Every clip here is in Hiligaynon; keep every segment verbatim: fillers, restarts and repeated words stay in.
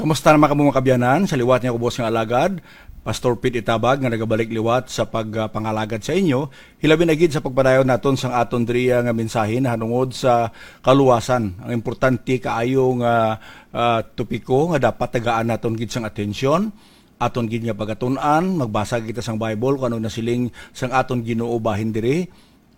Kumusta naman kamo, mga kabyanan? Sa liwat niya, ubos nga alagad, Pastor Pete Itabag, nga nagabalik liwat sa pagpangalagad sa inyo, hilabi na gid sa pagpadayon naton sang aton diriya nga mensahe nahanungod sa kaluwasan. Ang importante kaayo nga, ah, topiko nga dapat tagaan naton gid sang atensyon, aton gid nga pagatun-an, magbasa kita sang Bible kung ano nasiling sang aton Ginoo bahin diri.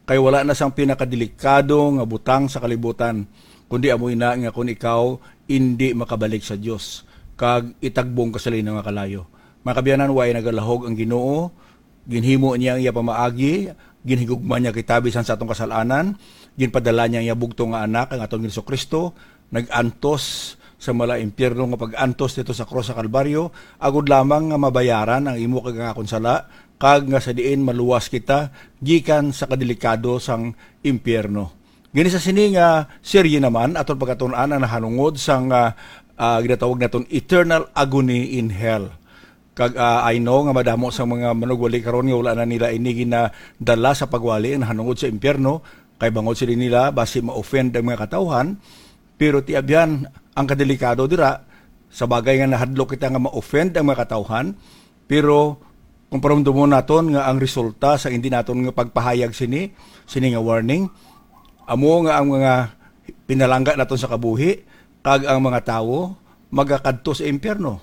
Kay wala na sang pinakadelikado nga butang sa kalibutan, kundi amo ina nga kon ikaw indi makabalik sa Dios kag itagbong ka sa linaw nga kalayo. Mga kabyanan, way nagalahog ang Ginoo, ginhimo niya ang iya pamaagi, ginhigugma niya kita bisan sa atong kasal-anan, ginpadala niya ang iya bugtong nga Anak, ang aton Jesu-Cristo, nag-antos sa mala impyerno nga pag-antos dito sa krus sa Kalbaryo, agod lamang nga mabayaran ang imo kag ang akon sala, kag nga sa diin maluwas kita gikan sa kadelikado sang impyerno. Gani sa sini nga serye naman, aton pagkatun-an ang nahanungod sang, ah, ah, ginatawag naton eternal agony in hell. Kag, ah, I know nga madamo sa mga manugwali karon nga wala na nila ini ginadala sa pagwali ang nahanungod sa impyerno, kay bangod sila nila basi ma-offend ang mga katawhan. Pero ti abyan, ang kadelikado dira, sa bagay nga nahadlok kita nga ma-offend ang mga katawhan, pero kung paramdumon naton nga ang resulta sa hindi naton nga pagpahayag sini, sini nga warning, amo nga ang mga pinalangga naton sa kabuhi, kag ang mga tawo magakadto sa impyerno.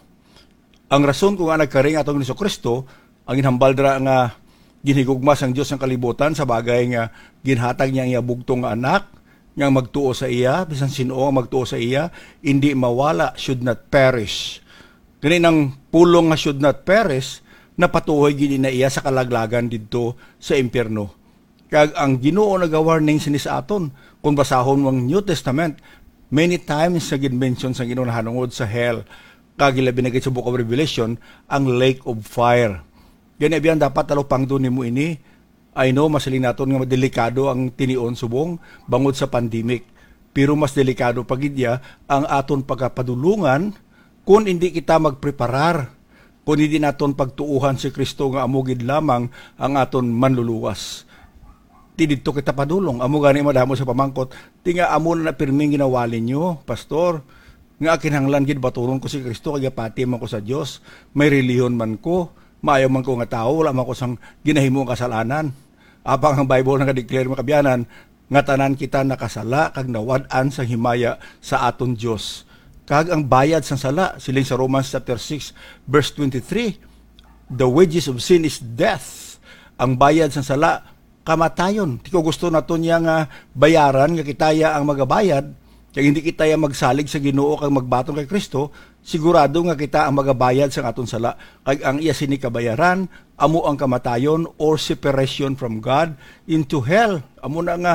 Ang rason kung nga nagkari ang atong Jesu-Cristo, ang ginhambal dira nga ginhigugma sang Dios ang kalibutan sa bagay nga ginhatag niya ang iya bugtong nga Anak, nga ang magtuo sa iya, bisan sin-o ang magtuo sa iya, indi mawala, should not perish. Gani nang pulong nga should not perish, napatuhoy gid na iya sa kalaglagan didto sa impyerno. Kag ang Ginoo nagawarning sini sa aton. Kung basahon mo ang New Testament, many times nga gin-mention sa Ginoo nahanungod sa hell, kag ilabi na gid sa Book of Revelation, ang lake of fire. Gani, abyan, dapat talupangdon nimo ini. I know, masiling naton nga delikado ang tinion subong bangod sa pandemic. Pero mas delikado pa gid iya ang aton pagkapadulungan kung hindi kita magpreparar, kung hindi naton pagtuuhan si Kristo nga amo gid lamang ang aton manluluwas. Ti didto kita padulong. Amo gani madamo sa pamangkot, "Ti nga amo na pirming ginawali nyo, Pastor, nga kinahanglan gid baturon ko si Kristo kay gapati man ko sa Dios. May relihiyon man ko, maayo man ko nga tawo, wala man ko sang ginahimo nga kasalanan." Apang ang Bible nagadeclare, mga kabyanan, nga tanan kita nakasala kag nawad-an sang himaya sa aton Dios. Kag ang bayad sang sala, siling sa Romans chapter six, verse twenty-three, "The wages of sin is death." Ang bayad sang sala, kamatayon. Ti kung gusto naton niya nga bayaran, nga kita ya ang magabayad, kag hindi kita ya magsalig sa Ginoo kag magbaton kay Kristo, sigurado nga kita ang magabayad sang aton sala. Kag ang iya sini kabayaran amo ang kamatayon, or separation from God into hell. Amo na nga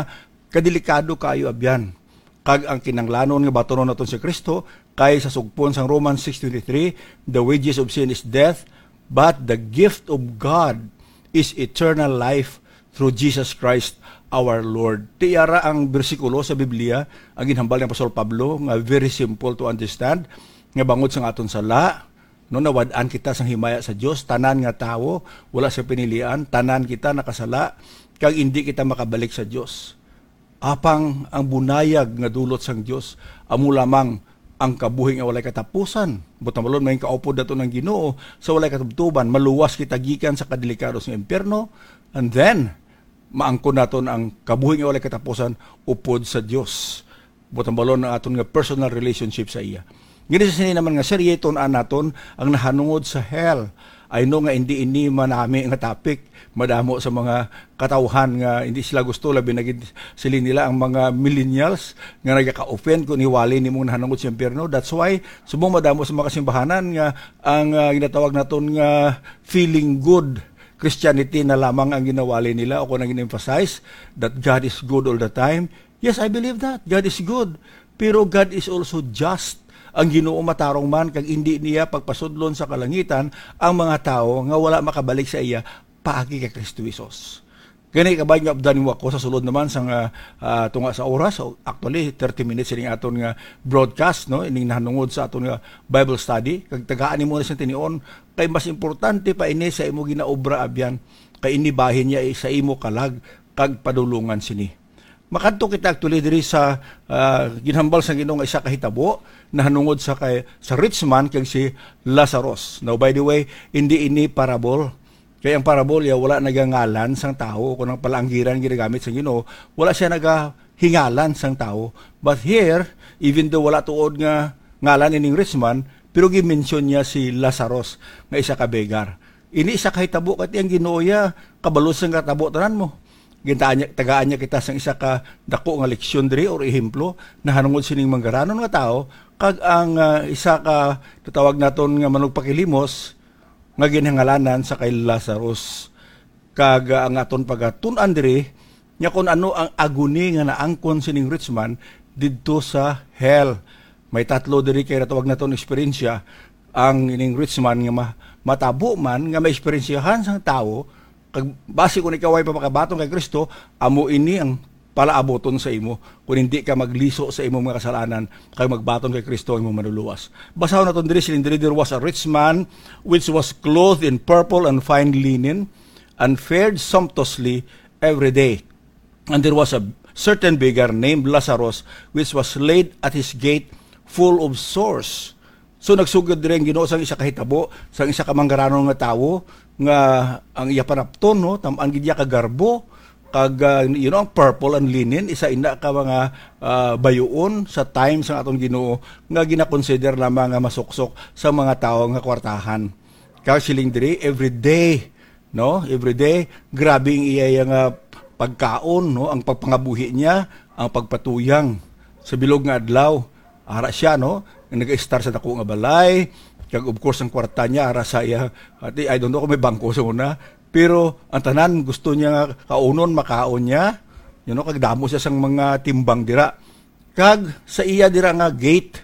kadelikado kaayo, abyan. Kag ang kinahanglanon nga batunon naton si Kristo, kay sa sugpon sang Romans six twenty-three, "The wages of sin is death, but the gift of God is eternal life through Jesus Christ our Lord." Ti ara ang bersikulo sa Biblia ang ginhambal ni Apostol Pablo, nga very simple to understand, nga bangod sang aton sala, no, nawad-an kita sang himaya sa Dios. Tanan nga tawo, wala sa pinilian, tanan kita nakasala, kag indi kita makabalik sa Dios. Apang ang bunayag nga dulot sang Dios amo lamang ang kabuhi nga walay katapusan. Buot silingon, may kaupod naton ang Ginoo sa walay katubtoban. Maluwas kita gikan sa kadelikado sa impyerno, and then maangkon naton ang kabuhi nga walay katapusan upod sa Dios. Buot silingon, ang aton nga personal relationship sa iya. Gani sa sini naman nga serye, tun-an naton ang nahanungod sa hell. I know nga hindi ini manami nga topic. Madamo sa mga katawhan nga hindi sila gusto, labi na gid siling nila ang mga millennials nga nagaka-offend kung iwali nimong nahanungod sa impyerno. That's why subong madamo sa mga kasimbahanan nga ang, ah, ginatawag naton nga feeling good Christianity na lamang ang ginawali nila o kung ang gin-emphasize that God is good all the time. Yes, I believe that. God is good. Pero God is also just. Ang Ginoo matarong man, kag indi niya pagpasudlon sa kalangitan ang mga tawo nga wala makabalik sa iya paagi kay Kristo Jesus. Gani, kabay nga updan mo ako sa sulod naman sang, ah, ah, tunga sa oras. So, actually, thirty minutes ining aton nga broadcast, no? Ining nahanungod sa aton nga Bible study. Kag tagaan nimo na siyang tinion, kay mas importante pa ini sa imo ginaobra, abyan, kay ini bahin niya sa imo kalag kag padulungan sini. Makadto kita actually diri sa, ah, ginhambal sa Ginoo nga isa ka hitabo nahanungod sa kay, sa rich man kag si Lazarus. Now, by the way, hindi ini parable. Kay ang parable ya wala nagangalan sang tawo, kung ang palaanggiran ginagamit sa Ginoo, wala siya nagahingalan sang tawo. But here, even though wala tuod nga ngalan ining rich man, pero gi-mention niya si Lazarus nga isa ka beggar. Ini isa ka hitabo, kay ang Ginoo ya kabalo sang katabo tanan mo. Gintaan niya, tagaan niya kita sang isa ka dako nga leksyon diri or ehemplo nahanungod sining manggaranon nga tawo, kag ang, ah, isa ka natawag naton nga manugpakilimos nga ginhangalanan sa kay Lazarus. Kag, ah, ang aton pagatun-an diri nga kung ano ang agony nga naangkon sining rich man didto sa hell. May tatlo diri kay natawag naton eksperyensya ang ining rich man nga ma-, matabo man nga maeksperiensyahan sang tawo, kag basi kung ikaw ay pa makabaton kay Kristo, amo ini ang palaabuton sa imo, kung hindi ka magliso sa imong mga kasalanan kag magbaton kay Kristo ang imong manluluwas. Basahon naton diri, siling diri, "There was a rich man which was clothed in purple and fine linen, and fared sumptuously every day. And there was a certain beggar named Lazarus, which was laid at his gate full of sores." So, nagsugod diri ang Ginoo sang isa ka hitabo, sang isa ka manggaranon nga tawo, nga ang iya panapton, no, tam-an gid iya ka garbo, kag, ah, you know, ang purple and linen, isa ina ka mga, ah, bayuon sa time sang aton Ginoo nga ginakonsider lamang nga masuksok sa mga tawo nga kwartahan. Kag siling diri, every day, no? Every day, grabe ang iya, iya nga pagkaon, no? Ang pagpangabuhi niya, ang pagpatuyang sa bilog nga adlaw. Ara siya, no? Nag-estar sa dako nga balay, kag of course ang kwarta niya ara sa iya. Ati, I don't know kung may bangko sa una, pero ang tanan gusto niya nga kaunon, makaon niya. You know, kag damo siya sang mga timbang dira. Kag sa iya dira nga gate,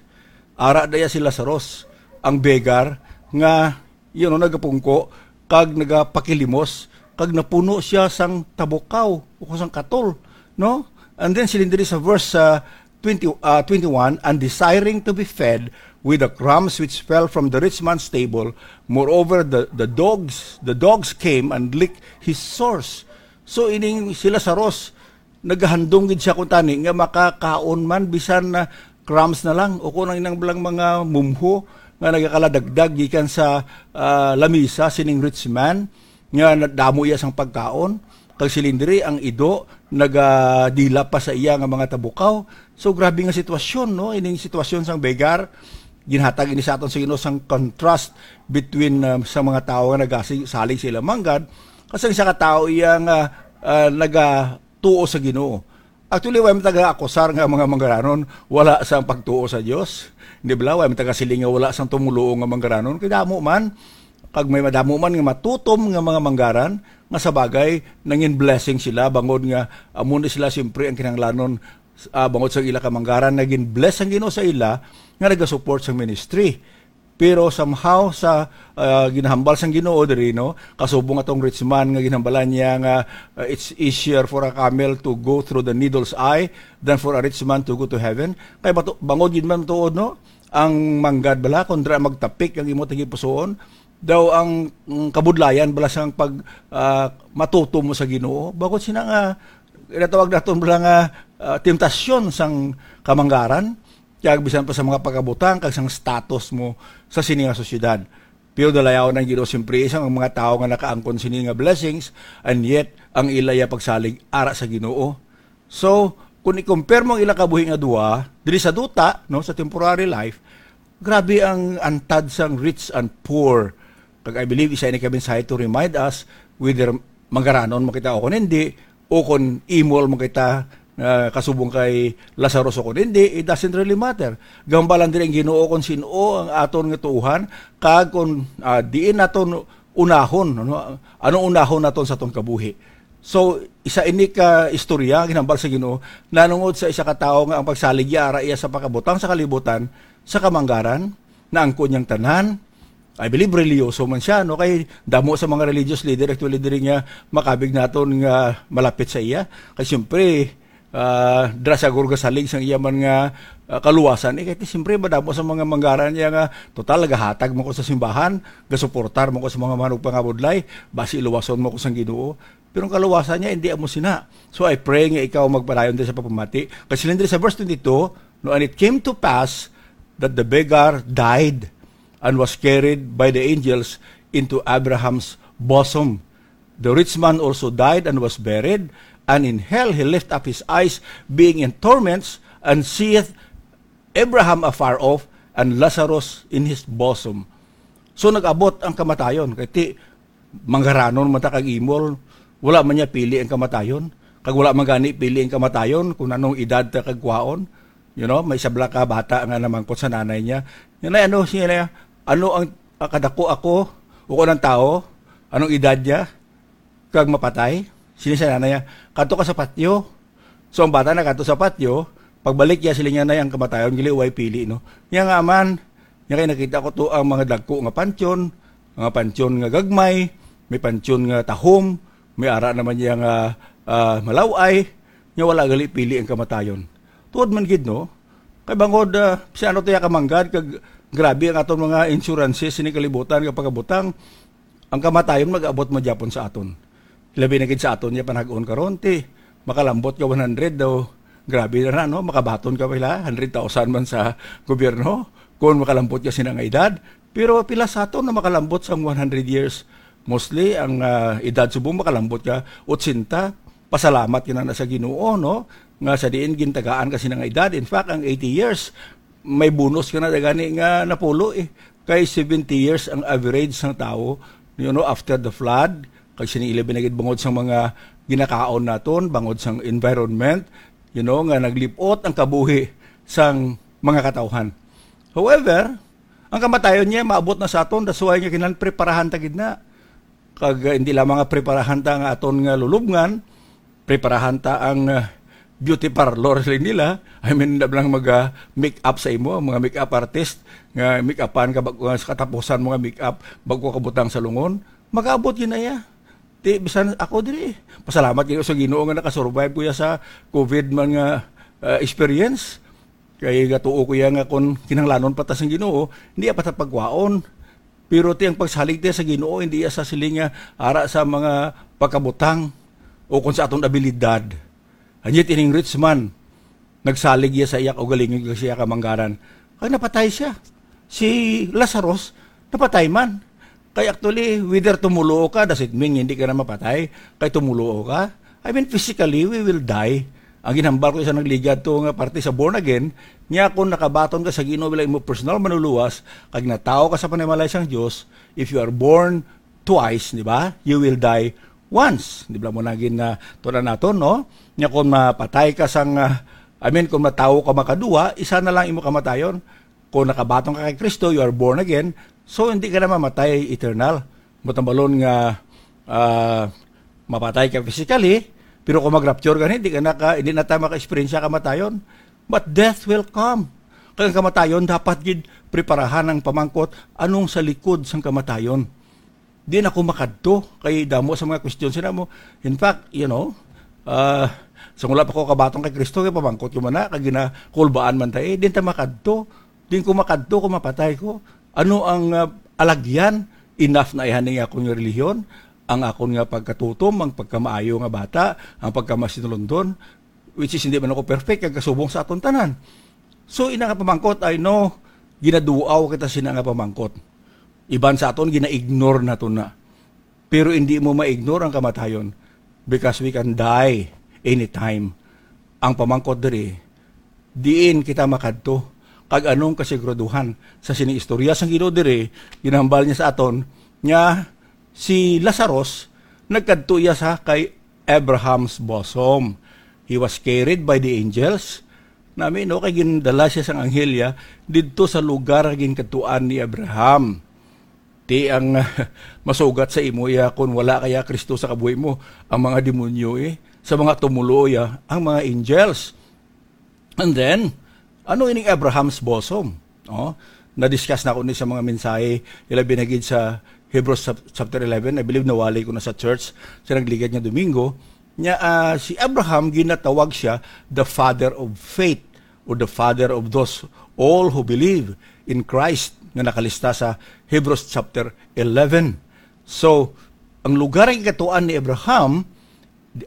ara daya si Lazarus, ang beggar, nga, you know, nagapungko kag nagapakilimos, kag napuno siya sang tabukaw o sang katol, no? And then, siling diri sa verse, ah, twenty, ah, twenty-one, "And desiring to be fed with the crumbs which fell from the rich man's table, moreover, the, the dogs, the dogs came and licked his sores." So, ining si Lazarus, nagahandom gid siya kuntani nga makakaon man bisan na crumbs na lang, o kung ang inang lang mga mumho nga nagakaladagdag gikan sa, ah, lamisa sining rich man, nga na-, damo iya sang pagkaon, kag siling diri ang ido nagadila pa sa iya nga mga tabukaw. So, grabe nga sitwasyon, no? Ining sitwasyon sang beggar, ginhatag ini sa aton sa Ginoo sang contrast between, ah, sa mga tawo nga nagasalig sa ilang manggad, kag sang isa ka tawo iya nga, ah, nagatuo sa Ginoo. Actually, way man taga-akusar nga mga manggaranon wala sang pagtuo sa Dios. Di bala? Way man taga-siling nga wala sang tumoluo nga manggaranon. Kay damo man, kag may madamo man nga matutom nga mga manggaran, nga sa bagay, nangin blessing sila, bangod nga amo ni sila siyempre ang kinahanglanon, ah, bangod sa ila ka manggaran, nagin bless ang Ginoo sa ila, nga nagasupport sa ministry. Pero somehow sa, ah, ginahambal sang Ginoo diri, no, kasubong atong rich man nga ginhambalan niya nga, ah, it's easier for a camel to go through the needle's eye than for a rich man to go to heaven. Kay bato-, bangod gid man tuod, no, ang manggad bala, kung dira magtapik ang imo tagipusoon, daw ang, ang kabudlayan bala sang pag, ah, matutom mo sa Ginoo. Bangod sina nga, ginatawag naton bala nga, ah, temptasyon sang kamanggaran, kag bisan pa sa mga pagkabutang kag sang status mo sa sini nga sosyedad. Pero dalayaw ng Ginoo siyempre sang mga tawo nga nakaangkon sini nga blessings, and yet ang ila ya pagsalig ara sa Ginoo. So, kung i-compare mo ang ila kabuhi nga duha, diri sa duta, no, sa temporary life, grabe ang antad sang rich and poor. Kag I believe isa ini ka mensahe to remind us whether manggaranon man kita o kung hindi, o kung imol man kita, ah, kasubong kay Lazarus o kung hindi, it doesn't really matter. Gambalan diri ang Ginoo kung sin-o ang aton nga tuohan, kag kung, ah, diin naton unahon, ano, ano unahon naton sa aton kabuhi. So, isa ini ka istorya ginhambal sa Ginoo nanungod sa isa ka tawo nga ang pagsalig iya ara iya sa pagkabutang sa kalibutan, sa kamanggaran, naangkon niyang tanan. I believe reliyoso man siya, no? Kay damo sa mga religious leader actually diri nga makabig naton nga malapit sa iya. Kay siyempre, ah, dira sa gurga salig sang iya man nga, ah, kaluwasan. Eh, kay siyempre madamo sa mga manggaran niya nga, "Total, nagahatag mo ko sa simbahan, gasuportar mo ko sa mga manugpangabudlay, basi luwason mo ko sang Ginoo." Pero ang kaluwasan niya, hindi amo sina. So I pray nga ikaw magpadayon diri sa pagpamati. Kasi siling diri sa verse twenty-two, "No, and it came to pass that the beggar died and was carried by the angels into Abraham's bosom. The rich man also died and was buried, and in hell he lift up his eyes, being in torments, and seeth Abraham afar off, and Lazarus in his bosom." So nag-abot ang kamatayon, kay ti manggaranon man ta kag imol, wala man niya pili ang kamatayon. Kag wala man gani pili ang kamatayon kung anong edad ta kag kwaon. You know, may sabla ka bata nga namangkot sa nanay niya, "Nanay, ano siya niya? Ano ang, ah, kadako ako o kung anong tao? Anong edad niya? Kag mapatay?" Siling sa nanay niya, "Kadto ka sa patyo." So ang bata nakadto sa patyo, pagbalik niya, siling niya, "Nay, ang kamatayon gali way pili, no?" Niya nga man, niya kay nakita ko to ang mga dagko nga pantyon, mga pantyon nga gagmay, may pantyon nga tahom, may ara naman niya nga, ah, malaw-ay, niya wala gali pili ang kamatayon. Tuod man gid, no? Kay bangod, ah, si ano to ya kamanggad, kag grabe ang aton mga insurances sini kalibutan nga pagabutang, ang kamatayon mag-abot man gyapon sa aton. Labi na gid sa aton niya panag-on karon, ti makalambot ka one hundred daw. Grabe na na, no? Makabaton ka pila, hundred thousand man sa gobyerno kung makalambot ka sina nga edad. Pero pila sa aton na makalambot sang one hundred years? Mostly, ang, ah, edad subong makalambot ka otsenta. Pasalamat ka na, na sa Ginoo, no? Nga sa diin gintagaan ka sina nga edad. In fact, ang eighty years, may bonus ka na gani nga napulo, eh. Kay seventy years ang average sang tawo, you know, after the flood, kag sini ilabi na gid bangod sang mga ginakaon naton, bangod sang environment, you know, nga naglip-ot ang kabuhi sang mga katawhan. However, ang kamatayon niya maabot na sa aton, that's why nga kinahanglan preparahan ta gid na. Kag, uh, hindi lamang nga preparahan ta nga aton nga lulubngan, preparahan ta ang, uh, beauty parlor, siling nila. I mean, hindi lang mag, uh, make up sa imo, ang mga make up artist nga make upan ka bag-, uh, sa katapusan mo nga make up, bago ka butang sa lungon, mag-abot yun na iya. Ti, bisan ako diri, pasalamat gyud sa Ginoo nga nakasurvive ko ya sa COVID man nga, uh, experience. Kay gatuo ko ya nga kung kinahanglanon pa ta sang Ginoo, hindi pa ta pagwaon. Pero ti ang pagsalig ti sa Ginoo, hindi iya sa siling nga ara sa mga pagkabutang o kung sa aton abilidad. And yet, ining rich man, nagsalig iya sa iya kaugalingon kag sa iya kamanggaran. Kag napatay siya. Si Lazarus, napatay man. Kay actually, whether tumulo ka, does it mean hindi ka na mapatay? Kay tumulo ka? I mean, physically, we will die. Ang ginhambal ko sa nagligad to nga parte sa born again, niya kung nakabaton ka sa Ginoo bilang imo personal manluluwas, kag natawo ka sa panimalay sang Dios, if you are born twice, di ba? You will die once. Di ba mo na gin, ah, tuna naton, no? Nya kung mapatay ka sang, ah, I mean, kung matawo ka makaduwa, isa na lang imo kamatayon. Kung nakabaton ka kay Kristo, you are born again. So, hindi ka na mamatay eternal. Matambalon nga, ah, mapatay ka physically, pero kung mag-rapture ka, hindi ka na ka, hindi na tayo maka-experience sa kamatayon. But death will come. Kaya ang kamatayon, dapat gid preparahan ang pamangkot, anong sa likod sang kamatayon? Di na ako makadto kay damo sa mga question sila mo. In fact, you know, ah, sa wala pa ko kabatong kay Kristo, kay pamangkot ko man na, kag ginakulbaan man tayo, eh, di ta makadto. Di ko makadto kung mapatay ko. Ano ang, ah, alagyan? Enough na ihan nga akon nga relihiyon, ang akon nga pagkatutom, ang pagkamaayo nga bata, ang pagkamasinulundon, which is hindi man ako perfect, kag kasubong sa aton tanan. So, ina nga pamangkot, I know, ginaduaw kita sina nga pamangkot. Iban sa aton, gina-ignore nato na. Pero hindi mo ma-ignore ang kamatayon because we can die anytime. Ang pamangkot diri, diin kita makadto? Kag anong kasiguraduhan sa sining istorya sang Ginoo diri? Ginahambal niya sa aton nga si Lazarus nagkadto iya sa kay Abraham's bosom. He was carried by the angels. Nami, no, kay gindala siya sang anghel ya didto sa lugar nga ginkadtuan ni Abraham. Ti ang masugat sa imo iya, kun wala kaya Kristo sa kabuhi mo, ang mga demonyo, eh, sa mga tumulo iya, ang mga angels. And then, ano ining Abraham's bosom? Oh, na-discuss na ko ni sa mga mensahe, ilabi na gid sa Hebrews chap-, chapter eleven, I believe nawali ko na sa church sa nagligad nga Domingo. Nya, ah, si Abraham, ginatawag siya the father of faith or the father of those all who believe in Christ nga nakalista sa Hebrews chapter eleven. So, ang lugar nga gikadtuan ni Abraham,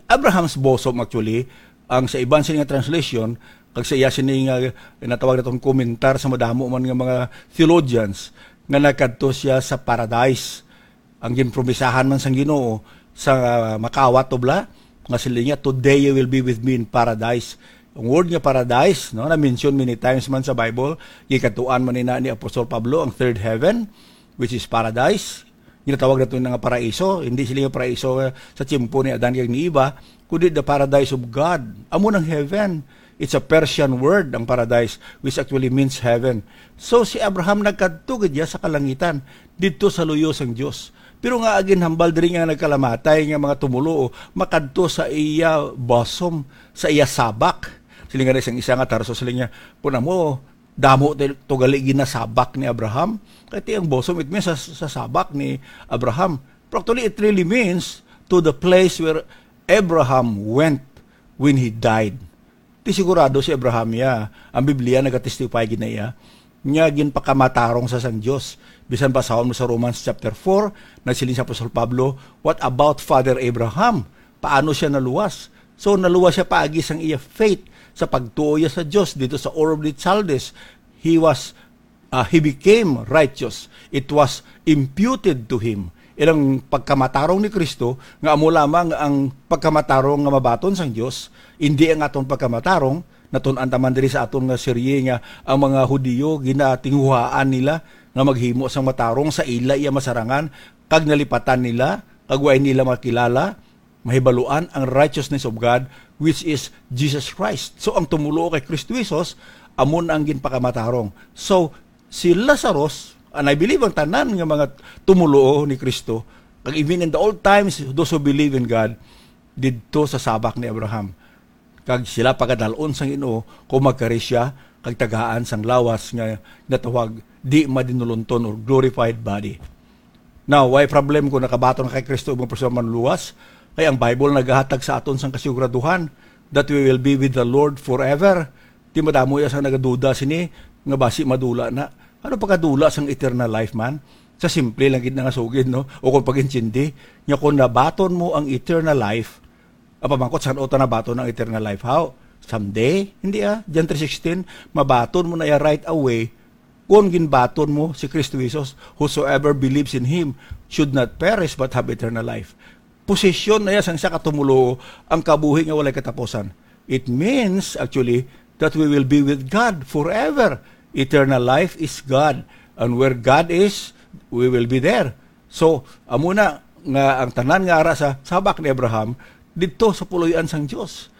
Abraham's bosom, actually, ang sa iban sini nga translation, kag sa iya sini nga natawag naton komentar sa madamo man nga mga theologians, nga nagkadto siya sa paradise. Ang ginpromisahan man sang Ginoo sa makawat, to bala, nga siling niya, "Today you will be with me in paradise." Ang word nga paradise, no, na-mention many times man sa Bible, gikadtuan man ina ni Apostol Pablo ang third heaven, which is paradise. Ginatawag nato na nga paraiso. Hindi sila yung paraiso, eh, sa tiyempo ni Adan kag ni Eva, kundi the paradise of God. Amo nang heaven. It's a Persian word, ang paradise, which actually means heaven. So, si Abraham nagkadto gid niya sa kalangitan, didto sa luyo sang Dios. Pero nga ginhambal diri nga nagkalamatay nga mga tumuluo, makadto sa iya bosom, sa iya sabak. Siling nga isang isa nga tarso, siling niya, "Kun amo, damo to, to gali ginasabak ni Abraham." Kay ti ang bosom, it means sa, sa sabak ni Abraham. Pero actually, it really means to the place where Abraham went when he died. Ti sigurado si Abraham iya. Ang Biblia nagatestify gid na iya nga ginpakamatarong sa sang Dios. Bisan basahon mo sa Romans chapter four, nagsiling si Apostol Pablo, "What about Father Abraham? Paano siya naluwas?" So, naluwas siya paagi sang iya faith, sa pagtuo niya sa Dios dito sa Ur of the Chaldees. He was, uh, he became righteous. It was imputed to him. Ilang pagkamatarong ni Kristo, nga amo lamang ang pagkamatarong nga mabaton sang Dios, indi ang aton pagkamatarong. Natun-an ta man diri sa aton nga serye nga ang mga Hudiyo ginatinguhaan nila nga maghimo sang matarong sa ila iya masarangan, kag nalipatan nila, kag way nila makilala, mahibaluan ang righteousness of God, which is Jesus Christ. So, ang tumuluo kay Kristo Jesus, amo na ang ginpakamatarong. So, si Lazarus, and I believe ang tanan nga mga tumuluo ni Kristo, kag even in the old times, those who believe in God, didto sa sabak ni Abraham. Kag sila pagadal-on sang Ginoo kung magkari siya kag tagaan sang lawas nga natawag di madinulonton or glorified body. Now, why problem kung nakabaton na kay Kristo ang mga personal manluwas? Kay ang Bible nagahatag sa aton sang kasiguraduhan that we will be with the Lord forever. Ti madamo ya sang nagaduda sini nga basi madula na. Ano pagkadula sang eternal life man? Sa simple lang gid na nga sugid, no? O kung pag-intindi, nga kung nabaton mo ang eternal life, ang pamangkot, san-o ta nabaton ang eternal life? How? Someday? Hindi, ah. John three sixteen, mabaton mo na iya right away kung ginbaton mo si Kristo Jesus. "Whosoever believes in him should not perish but have eternal life." Posesyon na iya sang isa ka tumuluo ang kabuhi nga walay katapusan. It means, actually, that we will be with God forever. Eternal life is God. And where God is, we will be there. So, amo na nga ang tanan nga ara sa sabak ni Abraham, didto sa puloy-an sang Dios.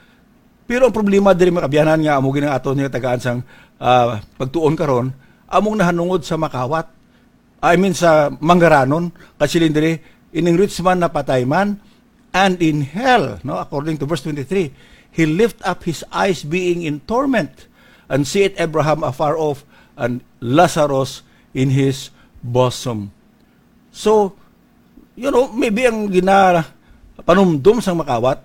Pero ang problema diri, mga kabyanan, nga amo gid ang aton nga tagaan sang, ah, pagtuon karon, among nahanungod sa makawat. I mean, sa manggaranon, kasiling diri, ining rich man napatay man, and in hell, no, according to verse twenty-three, he lift up his eyes being in torment, and seeth Abraham afar off, and Lazarus in his bosom. So, you know, maybe ang gina-, panumdom sang makawat,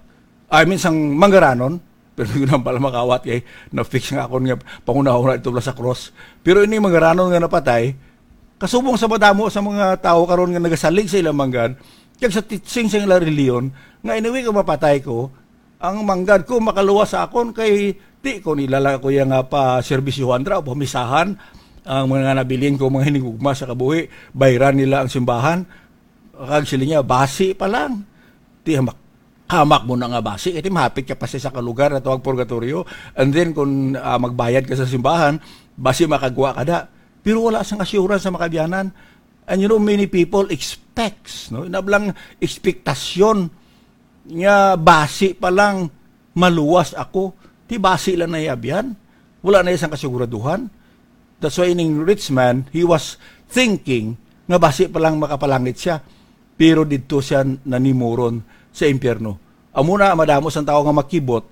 I mean, sang manggaranon, pero yun ang pala makawat kay na-fix nga akon nga panghunahuna ito sa cross. Pero ini manggaranon nga napatay, kasubong sa madamo sa mga tawo karon nga nagasalig sa ilang manggad, kag sa teaching sa ilang reliyon, nga anyway, kung mapatay ko, ang manggad ko makaluwas sa akon, kay di ko nila lang ako iya nga pa-serbisyuhan dira o pamisahan ang mga nabilin ko, mga hinigugma sa kabuhi, bayran nila ang simbahan. Kag sila niya, basi pa lang. Ti hamak, hamak mo na nga basi, kay ti mahapit ka pa sa isa ka lugar na tawag purgatorio. And then, kung, ah, magbayad ka sa simbahan, basi makagwa ka da. Pero wala sang assurance sa makabyanan. And you know, many people expects, no? Inablang ekspektasyon nga basi pa lang maluwas ako. Ti basi lang na iya abyan. Wala na iya sang kasiguraduhan. That's why ining rich man, he was thinking nga basi pa lang makapalangit siya. Pero didto siya nanimuron sa impyerno. Amo na, madamo sang tawo nga makibot,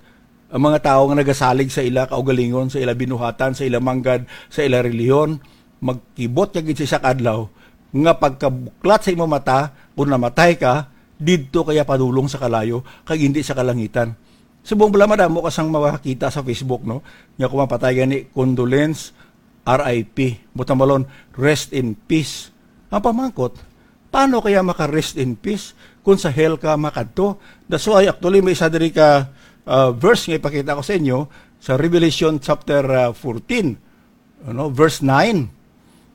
ang mga tawo nga nagasalig sa ila kaugalingon, sa ila binuhatan, sa ila manggad, sa ila relihiyon, magkibot ka gid sa isa ka adlaw nga pagkabuklat sa imong mata, kung namatay ka, didto ka iya padulong sa kalayo, kag hindi sa kalangitan. Subong bala madamo ka sang makakita sa Facebook, no? Nga kung mapatay gani, condolence, R I P. Butang balon, rest in peace. Ang pamangkot, Paano kaya maka-rest in peace kung sa hell ka makadto? That's why, actually, may isa diri ka, ah, verse nga ipakita ko sa inyo sa Revelation chapter, ah, fourteen, ano, verse nine.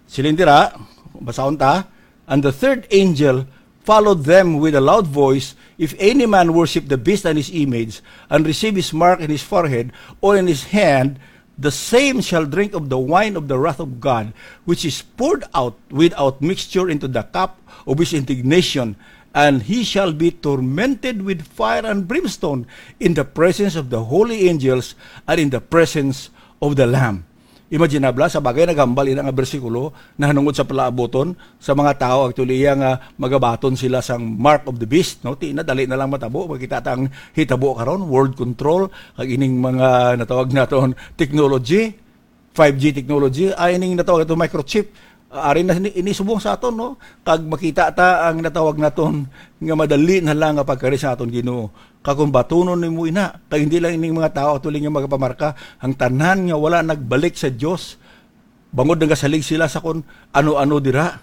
Siling dira, basahon ta, "And the third angel followed them with a loud voice, 'If any man worship the beast and his image, and receive his mark in his forehead or in his hand, the same shall drink of the wine of the wrath of God, which is poured out without mixture into the cup of his indignation, and he shall be tormented with fire and brimstone in the presence of the holy angels and in the presence of the Lamb.'" Imaginable, sa bagay, naghambal ina nga bersikulo nahanungod sa palaabuton sa mga tawo, actually, iya nga magabaton sila sang mark of the beast, no? Ti na, dali na lang matabo. Makita ta ang hitabo karon, world control, kag ining mga natawag naton technology, five G technology, ay ining natawag naton microchip. Ah, ari na ini, ini subong sa aton, no? Kag makita ta ang natawag naton nga madali na lang nga pagkari sa aton Ginoo. Kag kung batunon nimo ina, kag hindi lang ining mga tawo, actually, nga magapamarka, ang tanan nga wala nagbalik sa Dios, bangod nagasalig sila sa kon ano-ano dira,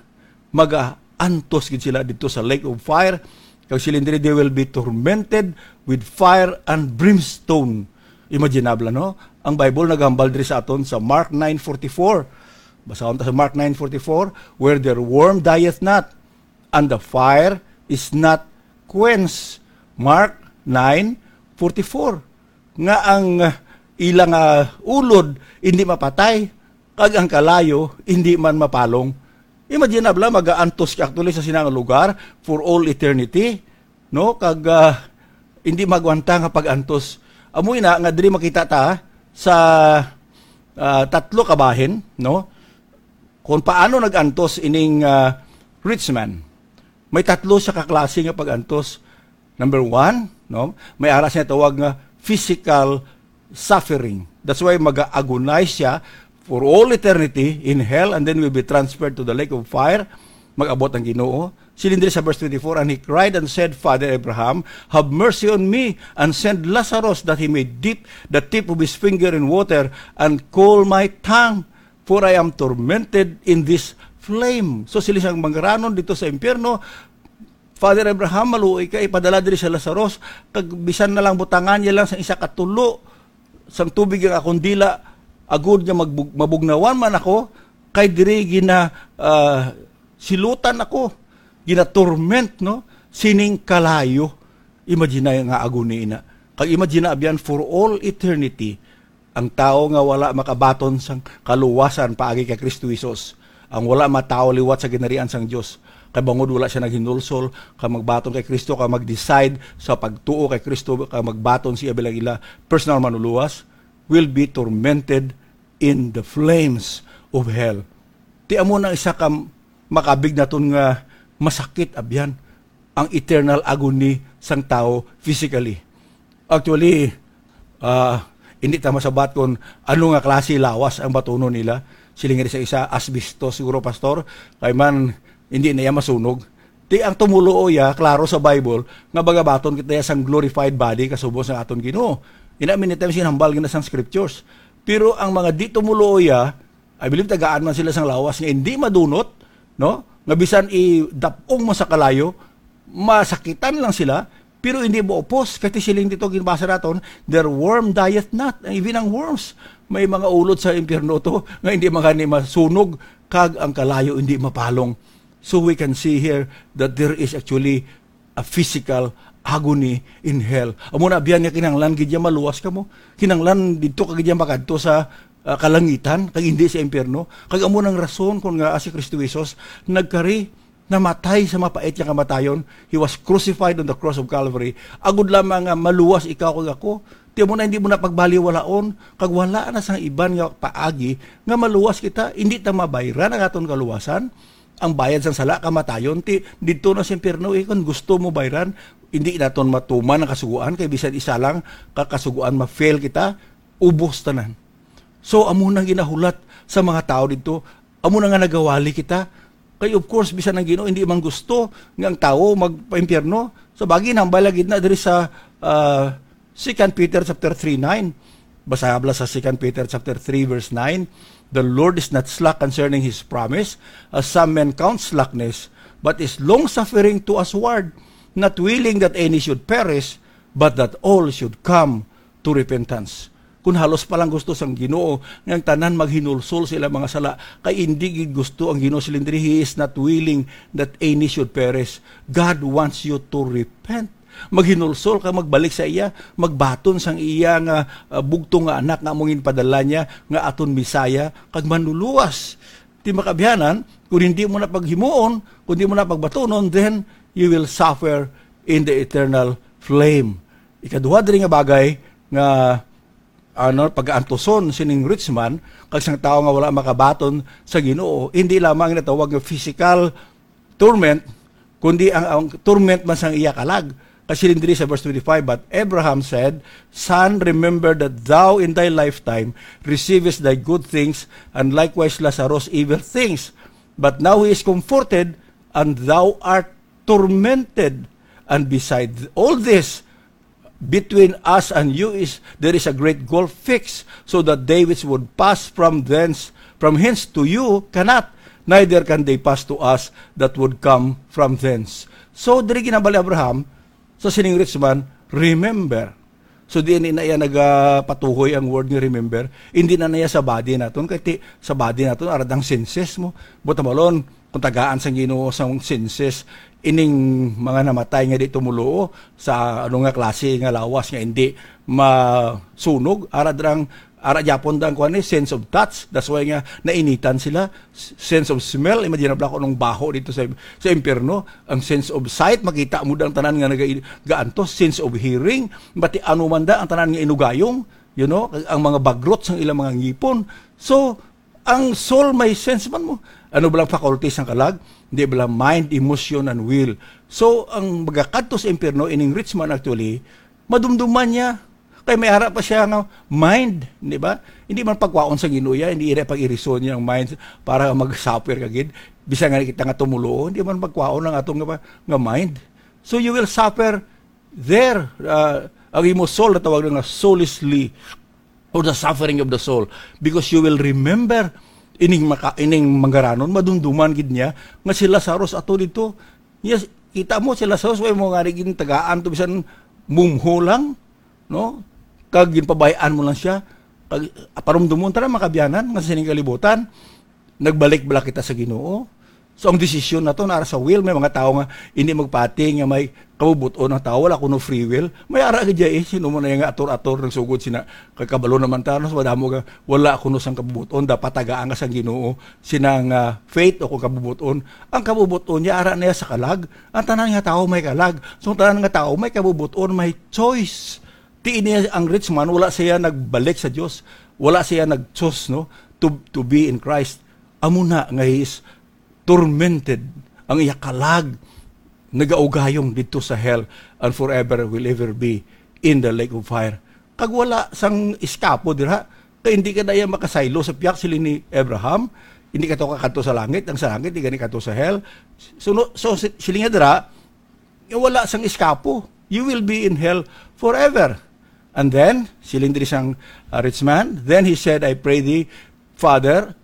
magaantos gid sila didto sa lake of fire. Kag siling diri, "They will be tormented with fire and brimstone." Imaginable, no? Ang Bible naghambal diri sa aton sa Mark nine forty-four. Basahon ta sa Mark nine forty-four, "Where their worm dieth not, and the fire is not quenched." Mark nine forty-four, nga ang, ah, ilang, ah, ulod hindi mapatay, kag ang kalayo hindi man mapalong. Imaginable, magaantos ka actually sa sinang lugar for all eternity, no? Kag, ah, hindi magwanta nga pag-antos. Amo ina nga diri makita ta sa, ah, tatlo ka bahin, no? Kung paano nag-antos ining, ah, rich man. May tatlo siya ka klase nga pag-antos. Number one, no? May ara siya tawag nga physical suffering. That's why mag-agonize siya for all eternity in hell and then will be transferred to the lake of fire. Mag-abot ang Ginoo. Siling diri sa verse twenty-four, "And he cried and said, 'Father Abraham, have mercy on me, and send Lazarus that he may dip the tip of his finger in water and cool my tongue, for I am tormented in this flame.'" So, sila siyang manggaranon dito sa impyerno, "Father Abraham, maluoy ka, ipadala diri sa Lazarus, kag bisan na lang butangan niya lang sa isa ka tulo sang tubig ang akong dila, agud nga magbug-, mabugnawan man ako, kay diri gina, ah, silutan ako, gina-torment, no, sining kalayo." Imagine nga agony ina. Kag imagine, abyan, for all eternity, ang tawo nga wala makabaton sang kaluwasan paagi kay Kristo Jesus, ang wala matawo liwat sa ginharian sang Dios, kay bangod wala siya naghinulsol kag magbaton kay Kristo, kag mag-decide sa pagtuo kay Kristo, kag magbaton siya bilang ila personal manlulowas, will be tormented in the flames of hell. Ti amo na isa ka makabig naton nga masakit, abyan, ang eternal agony sang tawo physically. Actually, ah, hindi ta masabat kung ano nga klase lawas ang batunon nila. Siling sa isa, asbestos siguro, Pastor, kay man hindi na iya masunog. Ti ang tumuluo iya, klaro sa Bible, nga magabaton kita iya sang glorified body kasubo sa aton Ginoo. Ina, many times ginhambal gina sang scriptures. Pero ang mga di tumuluo iya, I believe tagaan man sila sang lawas nga hindi madunot, no? Nga bisan idap-ong mo sa kalayo, masakitan lang sila, pero hindi mo upos. Kay ti siling dito, ginbasa naton, "Their worm dieth not." Even ang worms, may mga ulod sa impyerno to nga hindi man gani masunog, kag ang kalayo hindi mapalong. So we can see here that there is actually a physical agony in hell. Amo na biyan nga kinahanglan gid niya maluwas kamo. Kinahanglan didto ka gid niya makadto sa, ah, kalangitan, kag hindi sa impyerno. Kag amo nang rason kon ngaa si Kristo Jesus nagkari, namatay sa mapait nga kamatayon. He was crucified on the cross of Calvary. Agud lamang nga maluwas ikaw kag ako. Ti amo na hindi mo na pagbaliwalaon, kag wala na sang iban nga paagi nga maluwas kita. Hindi ta mabayran ang aton kaluwasan. Ang bayad sang sala, kamatayon. Ti, didto na sa impyerno, eh, kung gusto mo bayran, hindi naton matuman ang kasugoan, kay bisan isa lang ka kasugoan, ma-fail kita, ubos tanan. So, amo nang ginahulat sa mga tawo didto, amo na nga nagawali kita. Kay, of course, bisan ang Ginoo hindi man gusto nga ang tawo magpaimpyerno. Sa bagay, nambala gid na diri sa, ah, Second Peter chapter three nine. Basa habla sa Second Peter chapter three verse nine, "The Lord is not slack concerning his promise, as some men count slackness, but is long-suffering to usward, not willing that any should perish, but that all should come to repentance. Kun halos pa lang gusto sang Ginoo nga ang tanan maghinulsol sa ilang mga sala, kay indi gid gusto ang Ginoo, siling diri, He is not willing that any should perish. God wants you to repent. Maghinulsol ka, magbalik sa iya, magbaton sang iya nga, ah, bugtong nga anak nga amo ginpadala niya nga aton Messiah kag Manluluwas. Ti makaabyanan, kung hindi mo na paghimuon, kung hindi mo na pagbatunon, then you will suffer in the eternal flame. Ikaduha diri nga bagay nga, ano, pagaantuson sining rich man kag sang tawo nga wala makabaton sa Ginoo, hindi lamang natawag nga physical torment, kundi ang, ang torment man sang iya kalag. Kasi diri sa verse twenty-five, "But Abraham said, Son, remember that thou in thy lifetime receivest thy good things, and likewise Lazarus evil things. But now he is comforted, and thou art tormented. And beside all this, between us and you is there is a great gulf fixed, so that they which would pass from thence, from hence to you cannot, neither can they pass to us that would come from thence." So, diri ginhambal ni Abraham sa sining rich man, "Remember." So, di na iya nagapatuhoy ang word nga "remember." Hindi na niya sa body naton, kay ti-, sa body naton, ara dang senses mo. Buot hambalon, kung tagaan sang Ginoo sang senses, ining mga namatay nga di tumuluo sa ano nga klase nga lawas nga hindi masunog, ara drang, ara gyapon dang kuan ni, sense of touch. That's why nga nainitan sila. S-, sense of smell, imagine na ko nung baho dito sa, sa impyerno. Ang sense of sight, makita mo dang tanan nga naga-, gaantos. Sense of hearing, bati ano man da ang tanan nga inugayong, you know, ang mga bagrot sang ilang mga ngipon. So, ang soul may sense man mo. Ano ba lang faculties ang kalag? Hindi ba lang mind, emotion, and will? So, ang magakadto sa impyerno, ining rich man actually, madumduman niya. Kay may ara pa siya nga mind, di ba? Hindi man pagkwaon sa Ginoo ya, hindi ira pag-irison niya ang mind para mag-suffer ka gid. Bisan nga kita nga tumulo, hindi man pagkwaon ang atong nga, nga mind. So you will suffer there. Uh, ang imo soul, natawag na nga soulishly, or the suffering of the soul, because you will remember ining maka, ining manggaranon, madumduman gid niya nga si Lazarus ato dito. Yes, kita mo si Lazarus, way mo nga gin tagaan to, bisan mumho lang, no? Kag ginpabay-an mo lang siya. Kag parumdumon ta na, makabiyanan, nga sa sining kalibutan, nagbalik bala kita sa Ginoo? So, ang desisyon na to, nara sa will. May mga tao nga hindi magpati nga may kabubot-on ang tao, wala kuno free will. May ara gid ya, eh, sino mo na yung ator-ator ng sugod sina, kay kabalo naman ta, no? So, madamo nga wala kuno sang kabubot-on, dapat tagaan ka sang Ginoo, sina nga faith o kung kabubot-on. Ang kabubot-on niya, ara niya sa kalag. Ang tanan nga tao may kalag. So, ang tanan nga tao may kabubot-on, may choice. Ti ini ang rich man, wala siya nagbalik sa Dios. Wala siya nag-choose, no, to, to be in Christ. Amo na nga he is tormented, ang iya kalag nagaugayong didto sa hell, and forever will ever be in the lake of fire. Kag wala sang iskapo dira, kay hindi ka na iya makasaylo sa piyak, siling ni Abraham, hindi ka to kakadto sa langit, ang sa langit, di gani kadto sa hell. So, no, so si-, siling niya dira, nga wala sang iskapo. You will be in hell forever. And then, siling diri sang, uh, rich man, "Then he said, I pray thee, Father,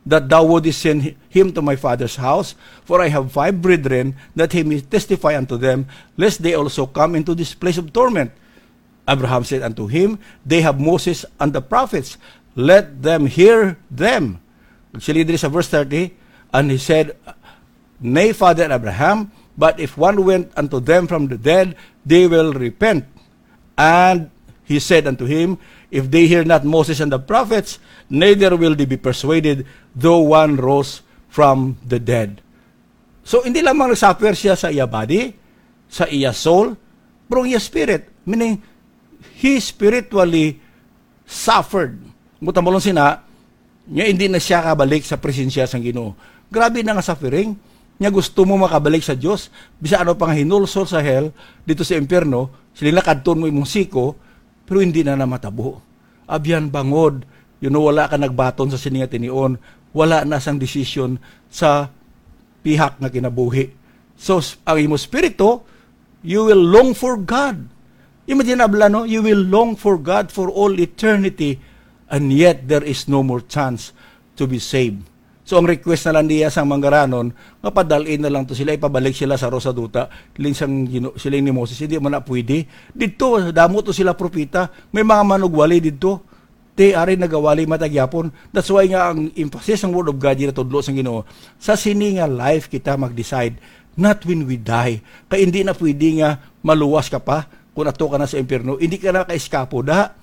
that thou wouldest send hi-, him to my father's house, for I have five brethren, that he may testify unto them, lest they also come into this place of torment." Abraham said unto him, "They have Moses and the prophets, let them hear them." Siling diri sa verse thirty, and he said, "Nay, Father Abraham, but if one went unto them from the dead, they will repent." And he said unto him, "If they hear not Moses and the prophets, neither will they be persuaded, though one rose from the dead." So, hindi lamang nagsuffer siya sa iya body, sa iya soul, pero ang iya spirit, meaning, he spiritually suffered. Buot hambalon sina, nga hindi na siya kabalik sa presensya sang Ginoo. Grabe na nga suffering. Nga gusto mo makabalik sa Dios, bisan ano pa nga hinulsol sa hell, dito sa impyerno, sila nakadton mo imong siko, pero hindi na namatabo. Abyan bangod, you know, wala ka nagbaton sa sini nga tinion, wala na sang desisyon sa pihak nga kinabuhi. So, s-, ang imo spirito, you will long for God. Imagine, abla, no? You will long for God for all eternity, and yet there is no more chance to be saved. So, ang request na lang niya sang manggaranon, nga padalin na lang to sila, ipabalik sila sa Rosa Duta, siling sang Gino-, siling ni Moses, "Hindi man na pwede. Dito, damo to sila propeta, may mga manugwali dito." Ti, ari nagawali man ta gyapon. That's why nga ang emphasis sang Word of God, ginatudlo sang Ginoo, sa sini nga life kita mag-decide, not when we die. Kay hindi na pwede nga maluwas ka pa kung ato ka na sa impyerno. Hindi ka na ka-eskapo da.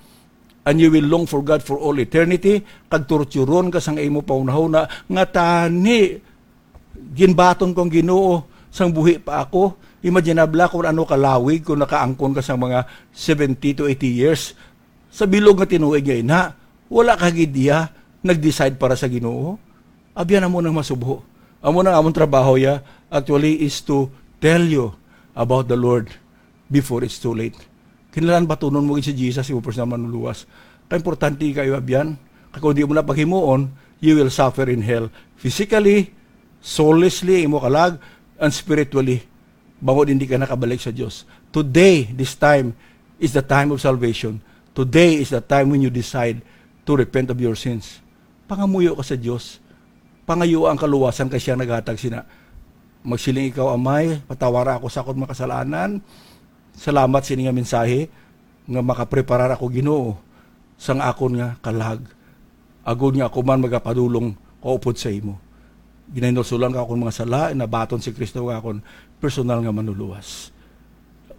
And you will long for God for all eternity, kag torturon ka sang imo panghunahuna nga, "Tani, ginbaton ko ang Ginoo sang buhi pa ako." Imaginable kung ano kalawig kung nakaangkon ka sang mga seventy to eighty years. Sa bilog nga tinuig nga ina, wala ka gid iya nag-decide para sa Ginoo. Abyan, amo nang masubo. Amo nang amon trabaho ya, actually, is to tell you about the Lord before it's too late. Kinahanglan batunon mo gid si Jesus, imo personal manluluwas. Kay importante kayo, abyan. Kay kung di mo na paghimuon, you will suffer in hell. Physically, soulishly, imo kalag, and spiritually, bangod hindi ka nakabalik sa Dios. Today, this time, is the time of salvation. Today is the time when you decide to repent of your sins. Pangamuyo ka sa Dios. Pangayo ang kaluwasan kay siya naghatag sina. Magsiling ikaw, "Amay, patawara ako sa akon mga kasalanan. Salamat sini nga mensahe nga makapreparar ako, Ginoo, sang akon nga kalag, agod nga ako man magapadulong kaupod sa imo. Ginahinulsulan ka akon mga sala, nabaton si Kristo nga akon personal nga manluluwas."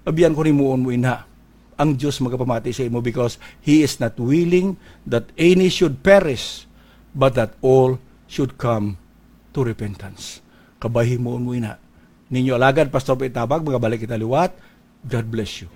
Abyan, kung himuon mo ina, ang Dios magapamati sa imo, because He is not willing that any should perish, but that all should come to repentance. Kabay, himuon mo ina. Ninyo alagad, Pastor Pitabag, magabalik kita liwat. God bless you.